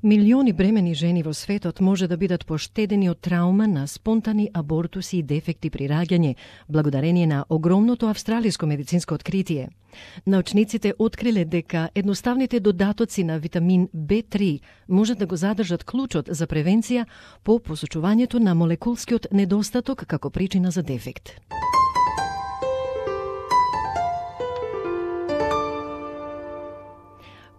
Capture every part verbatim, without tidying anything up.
Милиони бремени жени во светот може да бидат поштедени од траума на спонтани абортуси и дефекти при раѓање, благодарение на огромното австралиско медицинско откритие. Научниците откриле дека едноставните додатоци на витамин Б три можат да го задржат клучот за превенција по посочувањето на молекулскиот недостаток како причина за дефект.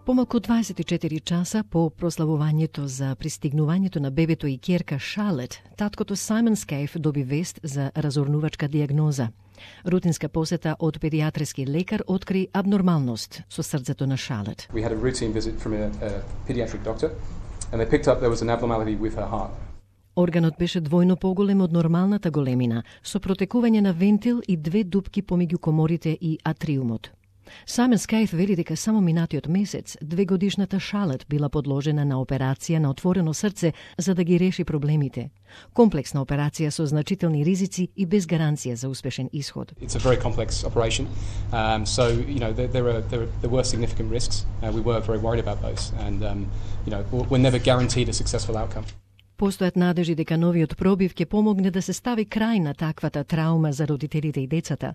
Помалку дваесет и четири часа по прославувањето за пристигнувањето на бебето и ќерка Шарлет, таткото Саймон Скаф доби вест за разорнувачка диагноза. Рутинска посета од педиатриски лекар откри абнормалност со срцето на Шарлет. We had a routine visit from a, a pediatric doctor and they picked up there was an abnormality with her heart. Органот беше двојно поголем од нормалната големина, со протекување на вентил и две дупки помеѓу коморите и атриумот. Саймон Скаф вели дека само минатиот месец двегодишната Шарлет била подложена на операција на отворено срце за да ги реши проблемите. Комплексна операција со значителни ризици и без гаранција за успешен исход. It's a very complex operation. Um, so, you know, there, there, are, there, there were significant risks. Uh, we were very worried about those. And, um, you know, we're never guaranteed a successful outcome. Постојат надежи дека новиот пробив ќе помогне да се стави крај на таквата траума за родителите и децата.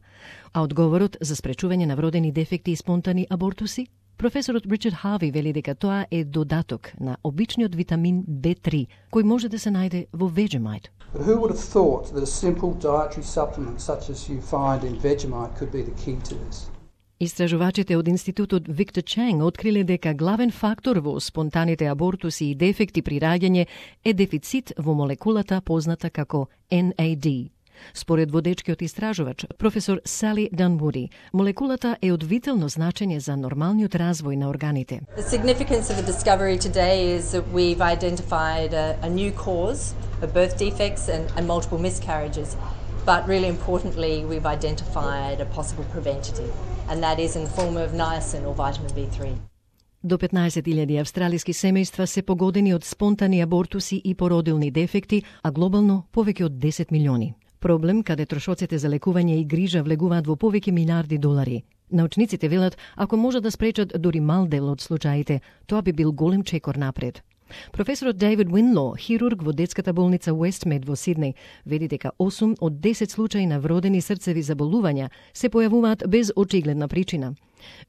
А одговорот за спречување на вродени дефекти и спонтани абортуси? Професорот Ричард Хави вели дека тоа е додаток на обичниот витамин Б три, кој може да се најде во Vegemite. But who would have thought that a simple dietary supplement such as you find in Vegemite could be the key to this? Истражувачите од Институтот Виктор Ченг откриле дека главен фактор во спонтаните абортуси и дефекти при раѓање е дефицит во молекулата позната како Н А Д. Според водечкиот истражувач, професор Сали Данвуди, молекулата е од витално значење за нормалниот развој на органите. The significance of the discovery today is that we've identified a, a new cause of birth defects and, and multiple miscarriages. But really importantly, we've identified a possible preventative, and that is in the form of niacin or vitamin B three. До петнаесет илјади австралиски семејства се погодени од спонтани абортуси и породилни дефекти, а глобално повеќе од десет милиони. Проблем каде трошоците за лекување и грижа влегуваат во повеќе милиарди долари. Научниците велат, ако може да спречат дури мал дел од случаите, тоа би бил голем чекор напред. Професорот Дейвид Уинло, хирург во детската болница Уестмед во Сиднеј, вели дека осум од десет случаи на вродени срцеви заболувања се појавуваат без очигледна причина.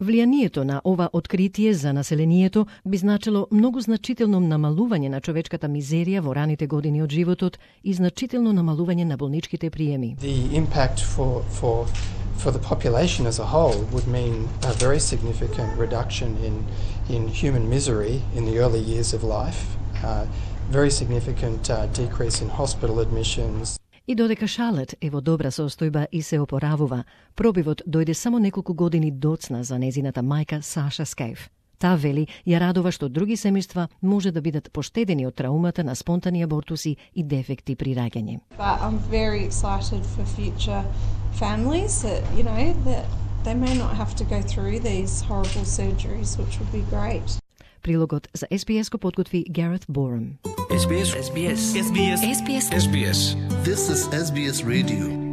Влијанието на ова откритие за населението би значило многу значително намалување на човечката мизерија во раните години од животот и значително намалување на болничките приеми. The impact for for for the population as a whole would mean a very significant reduction in in human misery in the early years of life, uh, very significant uh, decrease in hospital admissions. И додека Шарлет е во добра состојба и се опоравува, пробивот дојде само неколку години доцна за незината мајка Саша Скаф. Таа вели ја радува што други семејства може да бидат поштедени од траумата на спонтани абортуси и дефекти при раѓање. But I'm very excited for future families that, you know, that they may not have to go through these horrible surgeries, which would be great. Прилогот за Ес Би Ес го подготви Гарет Борум. Ес Би Ес. Ес Би Ес. Ес Би Ес. Ес Би Ес. This is Ес Би Ес Radio.